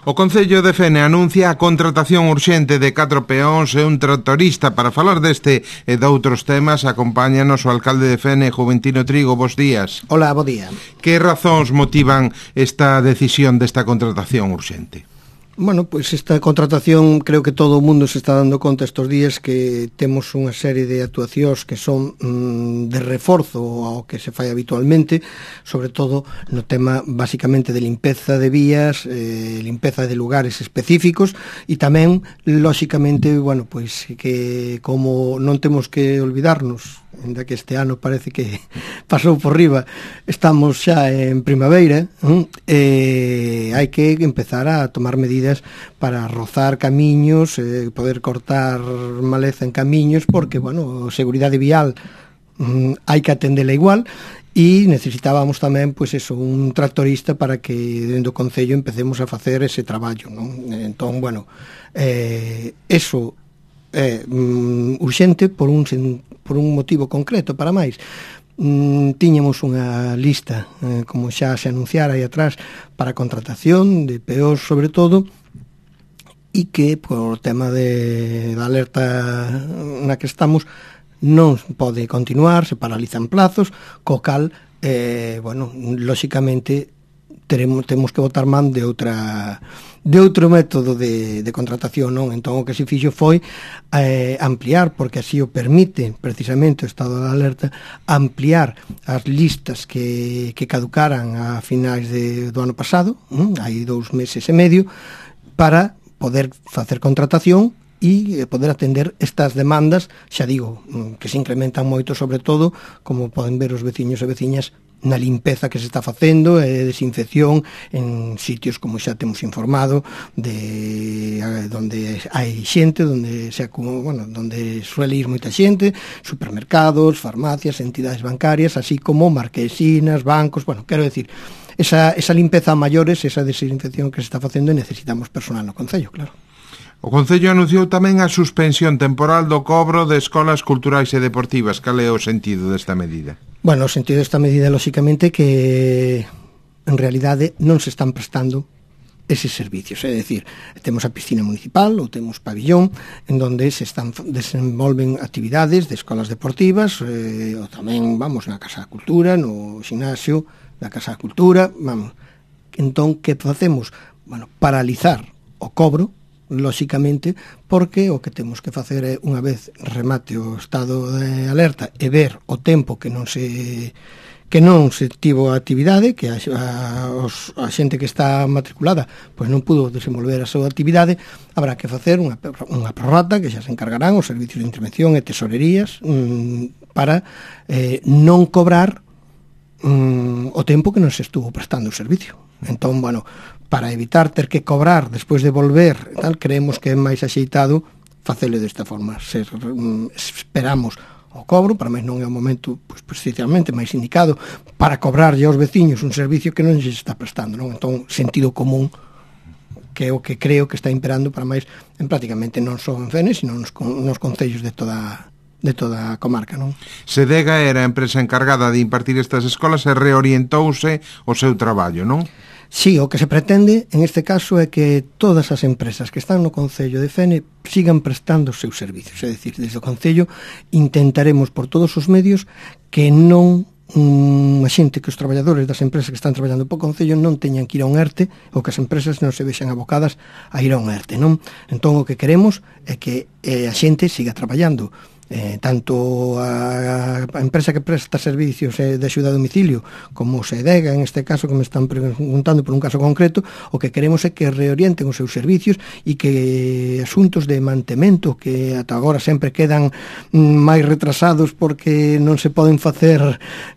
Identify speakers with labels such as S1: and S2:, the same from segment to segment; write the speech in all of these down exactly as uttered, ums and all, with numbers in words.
S1: O Concello de Fene anuncia a contratación urxente de catro peóns e un tractorista. Para falar deste e de outros temas, acompáñanos o alcalde de Fene, Juventino Trigo. Bos días.
S2: Hola, bo día.
S1: Que razóns motivan esta decisión desta contratación urxente?
S2: Bueno, pois pues esta contratación, creo que todo o mundo se está dando conta estes días que temos unha serie de actuacións que son mm, de reforzo ao que se fai habitualmente, sobre todo no tema basicamente de limpeza de vías, eh, limpeza de lugares específicos e tamén, lóxicamente, bueno, pois pues que como non temos que olvidarnos, ainda que este ano parece que pasou por riba, estamos xa en primavera, e hai que empezar a tomar medidas para rozar camiños, eh, poder cortar maleza en camiños, porque, bueno, seguridade vial mm, hai que atendela igual, e necesitábamos tamén, pois eso, un tractorista para que dentro do Concello empecemos a facer ese traballo, non? Entón, bueno, eh, eso é mm, urxente por un, por un motivo concreto, para máis. Mm, tiñamos unha lista, eh, como xa se anunciara aí atrás, para contratación de peóns sobre todo, e que por tema de, da alerta na que estamos non pode continuar, se paralizan plazos, co cal, eh, bueno, lóxicamente teremos, temos que botar man de outra de outro método de, de contratación, non? Entón o que se fixo foi eh, ampliar, porque así o permite precisamente o estado de alerta, ampliar as listas que, que caducaran a finais de, do ano pasado, hm? hai dous meses e medio, para poder facer contratación e poder atender estas demandas, xa digo, que se incrementan moito, sobre todo, como poden ver os veciños e veciñas, na limpeza que se está facendo e desinfección en sitios, como xa temos informado, de donde hai xente, donde se acumula, bueno, donde suele ir moita xente, supermercados, farmacias, entidades bancarias, así como marquesinas, bancos, bueno, quero decir, esa, esa limpeza a maiores, esa desinfección que se está facendo, e necesitamos personal no Concello, claro.
S1: O Concello anunciou tamén a suspensión temporal do cobro de escolas culturais e deportivas. Cal é o sentido desta medida?
S2: Bueno, o sentido desta medida, lóxicamente, que en realidade non se están prestando eses servicios, é dicir, temos a piscina municipal ou temos pabillón en donde se están desenvolven actividades de escolas deportivas, eh, ou tamén, vamos, na Casa da Cultura, no xinasio da Casa da Cultura, vamos. Entón, que facemos? Bueno, paralizar o cobro, lóxicamente, porque o que temos que facer é, unha vez remate o estado de alerta e ver o tempo que non se que non se tivo a actividade, que a, a, os, a xente que está matriculada pois non pudo desenvolver a súa actividade, habrá que facer unha, unha prorrata que xa se encargarán os servicios de intervención e tesorerías mmm, para eh, non cobrar mmm, o tempo que non se estuvo prestando o servicio. Entón, bueno, para evitar ter que cobrar despois de volver, tal, creemos que é máis axeitado facelo desta forma. Se, mm, esperamos o cobro, para máis non é o momento, pois, precisamente máis indicado para cobrarlle aos veciños un servicio que non se está prestando, non? Entón, sentido común, que é o que creo que está imperando para máis en prácticamente non só en Fene, sino nos, nos concellos de toda de toda a comarca, non?
S1: Sedega era a empresa encargada de impartir estas escolas e reorientouse o seu traballo, non?
S2: Sí, o que se pretende en este caso é que todas as empresas que están no Concello de Fene sigan prestando os seus servicios, é dicir, desde o Concello intentaremos por todos os medios que non um, a xente, que os traballadores das empresas que están traballando po Concello non teñan que ir a un ERTE, ou que as empresas non se vexan abocadas a ir a un ERTE, non? Entón o que queremos é que eh, a xente siga traballando. Eh, tanto a, a empresa que presta servicios eh, de axuda a domicilio como Sedega, en este caso que me están preguntando por un caso concreto, o que queremos é que reorienten os seus servicios e que asuntos de mantemento que ata agora sempre quedan mm, máis retrasados porque non se poden facer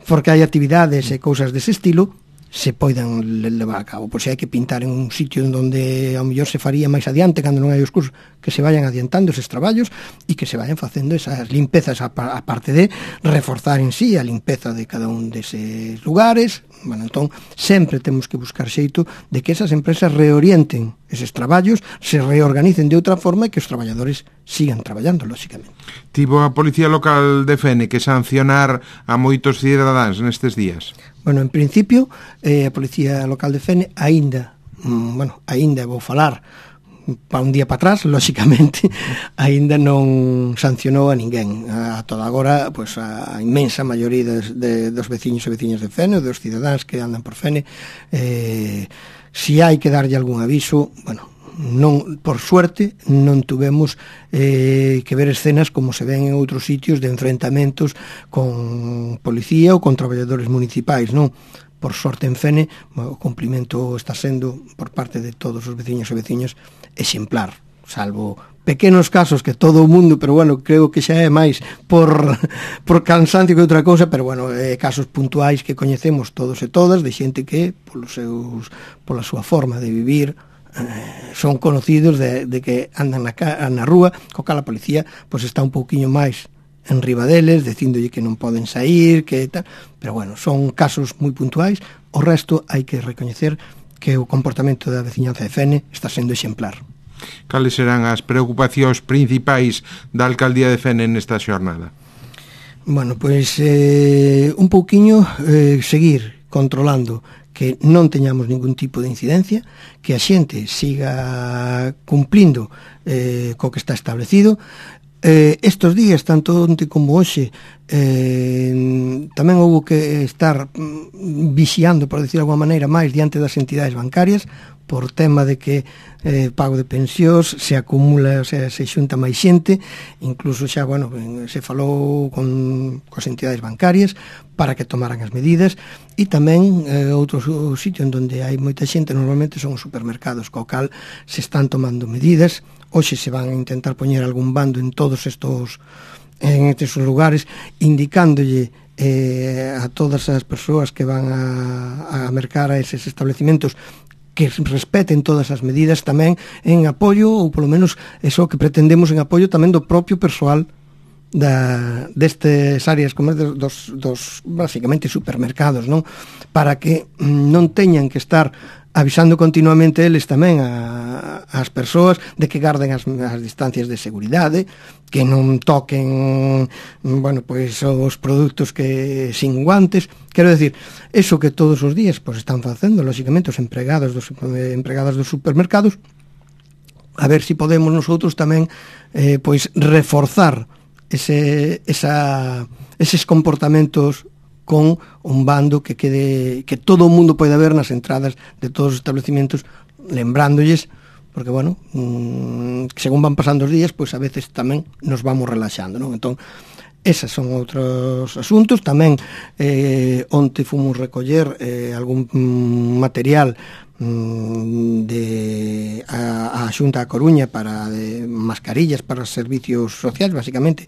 S2: porque hai actividades e cousas dese estilo, se poidan levar a cabo. Por se hai que pintar en un sitio onde ao mellor se faría máis adiante cando non hai os cursos, que se vayan adiantando eses traballos e que se vayan facendo esas limpezas, a parte de reforzar en sí a limpeza de cada un deses lugares. Bueno, entón, sempre temos que buscar xeito de que esas empresas reorienten eses traballos, se reorganicen de outra forma e que os traballadores sigan traballando, lóxicamente.
S1: Tivo a Policía Local de Fene que sancionar a moitos cidadáns nestes días?
S2: Bueno, en principio, eh, a Policía Local de Fene aínda mm, bueno, aínda vou falar para un día para atrás, lóxicamente, aínda non sancionou a ninguén. A toda agora, pois, a inmensa maioría dos, de, dos veciños e veciñas de Fene, dos cidadáns que andan por Fene, eh, si hai que darlle algún aviso, bueno, non, por suerte non tuvemos eh, que ver escenas como se ven en outros sitios de enfrentamentos con policía ou con traballadores municipais, non? Por sorte en Fene, o cumprimento está sendo por parte de todos os veciños e veciñas exemplar, salvo pequenos casos que todo o mundo, pero bueno, creo que xa é máis por, por cansancio que outra cousa, pero bueno, eh, casos puntuais que coñecemos todos e todas de xente que polos seus, pola súa forma de vivir eh, son conocidos de, de que andan na, na rúa, co cal a policía pois está un pouquiño máis en riba deles, dicíndolle que non poden sair, que tal, pero bueno, son casos moi puntuais. O resto hai que recoñecer que o comportamento da veciñanza de Fene está sendo exemplar.
S1: Cales serán as preocupacións principais da alcaldía de Fene nesta xornada?
S2: Bueno, pois eh, un pouquiño eh, seguir controlando que non teñamos ningún tipo de incidencia, que a xente siga cumplindo eh, co que está establecido. Eh, estos días, tanto onte como hoxe, eh, tamén houve que estar mm, vixiando, por decir de alguma maneira, máis diante das entidades bancarias, por tema de que eh, pago de pensións se acumula, o sea, se xunta máis xente, incluso xa, bueno, se falou con coas entidades bancarias para que tomaran as medidas, e tamén eh, outro sitio en donde hai moita xente normalmente son os supermercados, co cal se están tomando medidas. Hoxe se van a intentar poñer algún bando en todos estos en estes lugares, indicándolle eh, a todas as persoas que van a, a mercar a eses establecimientos que respeten todas as medidas, tamén en apoio, ou polo menos eso que pretendemos, en apoio tamén do propio persoal da, destes áreas como dos, dos basicamente supermercados, non? Para que non teñan que estar avisando continuamente eles tamén a, as persoas de que garden as, as distancias de seguridade, que non toquen, bueno, pois os produtos que sin guantes. Quero decir, eso que todos os días pois están facendo, lóxicamente, os empregados dos empregadas dos supermercados, a ver se si podemos nosotros tamén eh, pois reforzar ese, esa, eses comportamentos con un bando que quede, que todo o mundo poida ver nas entradas de todos os establecimientos, lembrándoles, porque, bueno, mmm, según van pasando os días, pois a veces tamén nos vamos relaxando, non? Entón, esas son outros asuntos. Tamén eh, onte fomos recoller eh, algún mm, material mm, de a, a Xunta da Coruña para de, mascarillas para os servicios sociais, basicamente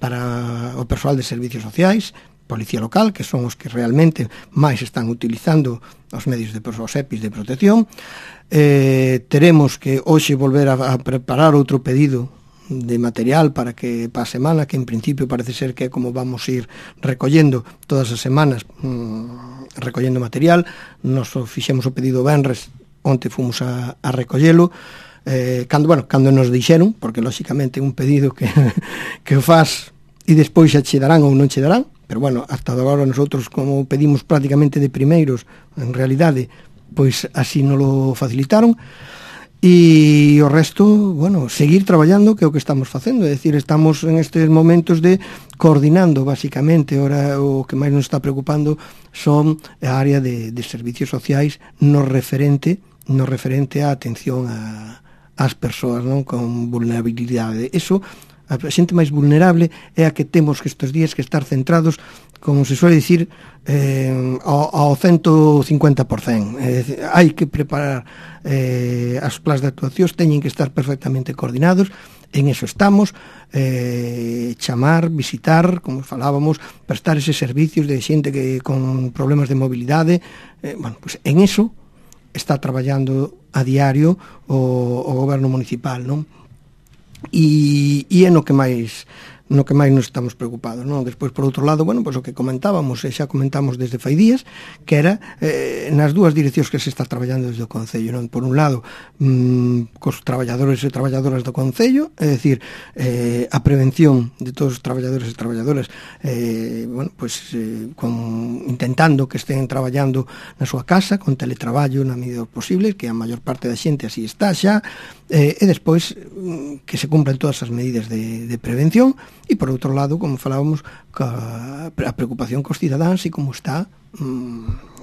S2: para o persoal de servicios sociais, policía local, que son os que realmente máis están utilizando os medios de os E P I s de protección. Eh, teremos que hoxe volver a, a preparar outro pedido de material para que para a semana, que en principio parece ser que é como vamos ir recollendo todas as semanas, mmm, recollendo material. Nos fixemos o pedido venres, onte fomos a, a recollelo, eh, cando, bueno, cando nos dixeron, porque lóxicamente un pedido que, que o faz e despois xa che darán ou non che darán, pero bueno, hasta agora nosotros, como pedimos prácticamente de primeiros, en realidade, pois así nos lo facilitaron. E o resto, bueno, seguir traballando, que é o que estamos facendo, é dicir, estamos en estes momentos de coordinando, basicamente. Ora o que máis nos está preocupando son a área de, de servicios sociais no referente, no referente á atención a, ás persoas, non, con vulnerabilidade. Eso, a xente máis vulnerable é a que temos que estes días que estar centrados, como se suele dicir, eh, ao, ao ciento cincuenta por cento. É dicir, hai que preparar eh, as plans de actuacións, teñen que estar perfectamente coordinados, en eso estamos, eh, chamar, visitar, como falábamos, prestar eses servicios de xente que con problemas de mobilidade, eh, bueno, pues en eso está traballando a diario o, o goberno municipal, non? E, e é no que máis no que máis nos estamos preocupados, non? Despois, por outro lado, bueno, pois o que comentábamos, e xa comentamos desde fai días, que era eh, nas dúas direccións que se está traballando desde o Concello, non? Por un lado, mmm, cos traballadores e traballadoras do Concello, é dicir, eh, a prevención de todos os traballadores e traballadoras, eh, bueno, pois eh, con, intentando que estén traballando na súa casa, con teletraballo na medida posible, que a maior parte da xente así está xa, eh, e despois que se cumplan todas as medidas de, de prevención, e por outro lado, como falábamos, ca, a preocupación cos cidadáns e como está mmm,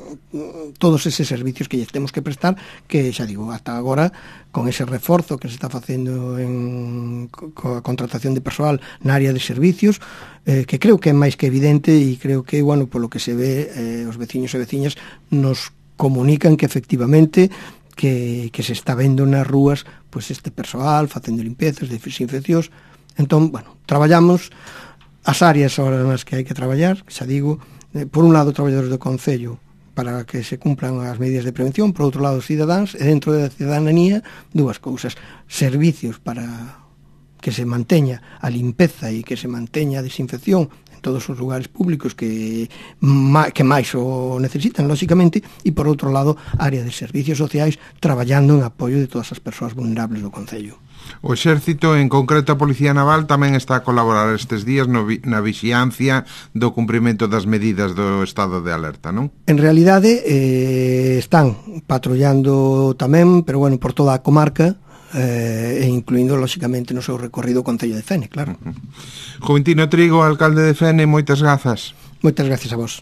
S2: todos eses servicios que lle temos que prestar, que xa digo, ata agora con ese reforzo que se está facendo en coa contratación de persoal na área de servicios, eh, que creo que é máis que evidente, e creo que, bueno, polo que se ve, eh, os veciños e veciñas nos comunican que efectivamente que, que se está vendo nas rúas pois este persoal facendo limpiezas, desinfeccións. Entón, bueno, traballamos as áreas ahora nas que hai que traballar, xa digo, eh, por un lado traballadores do Concello para que se cumplan as medidas de prevención, por outro lado os cidadáns, e dentro da cidadanía dúas cousas: servicios para que se manteña a limpeza e que se manteña a desinfección en todos os lugares públicos que, que máis o necesitan, lóxicamente, e por outro lado, área de servicios sociais traballando en apoio de todas as persoas vulnerables do Concello.
S1: O Exército, en concreto a Policía Naval, tamén está a colaborar estes días no, na vixiancia do cumprimento das medidas do estado de alerta, non?
S2: En realidade, eh, están patrullando tamén, pero bueno, por toda a comarca, eh, e incluindo, lóxicamente, no seu recorrido o Concello de Fene, claro.
S1: Uh-huh. Juventino Trigo, alcalde de Fene, moitas grazas.
S2: Moitas gracias a vos.